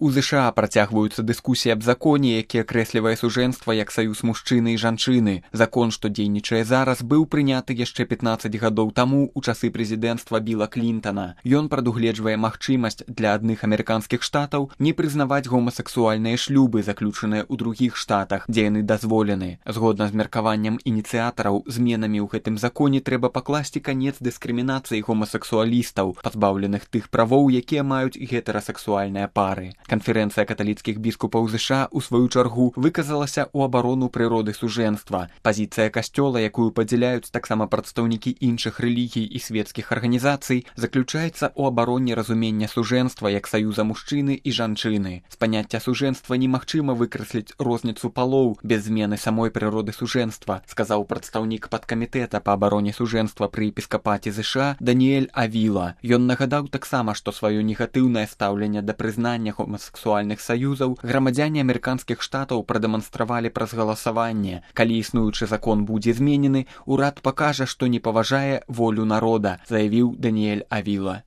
У ЗША працягваюцца дыскусіі аб законе, які акрэслівае сужэнства як саюз мужчыны і жанчыны. Закон, што дзейнічае зараз, быў прыняты яшчэ 15 гадоў таму у часы прэзідэнцтва Біла Клінтана. Ён прадугледжвае магчымасць для адных амерыканскіх штатаў не прызнаваць гомасексуальныя шлюбы, заключаныя ў другіх штатах, дзе яны дазволены. Згодна з меркаваннем ініцыятараў, зменамі ў гэтым законе трэба пакласці канец дыскрымінацыі гомасексуалістаў, пазбаўленых тых правоў, якія маюць гетэрасексуальныя пары. Канферэнцыя каталіцкіх біскупаў ЗША, у сваю чаргу, выказалася ў абарону прыроды сужэнства. Пазіцыя касцёла, якую падзяляюць таксама прадстаўнікі іншых рэлігій і свецкіх арганізацый, заключаецца ў абароне разумення сужэнства як саюза мужчыны і жанчыны. З паняцця сужэнства немагчыма выкрэсліць розніцу палоў без змены самой прыроды сужэнства, сказаў прадстаўнік падкамітэта па абароне сужэнства пры епіскапаце ЗША Даніэль Авіла. Ён нагадаў таксама, што сваё негатыўнае стаўленне да прызнання гомасексуальных саюзаў грамадзяне амерыканскіх штатаў прадэманстравалі праз галасаванне. Калі існуючы закон будзе зменены, урад пакажа, што не паважае волю народа, заявіў Даніэль Авіла.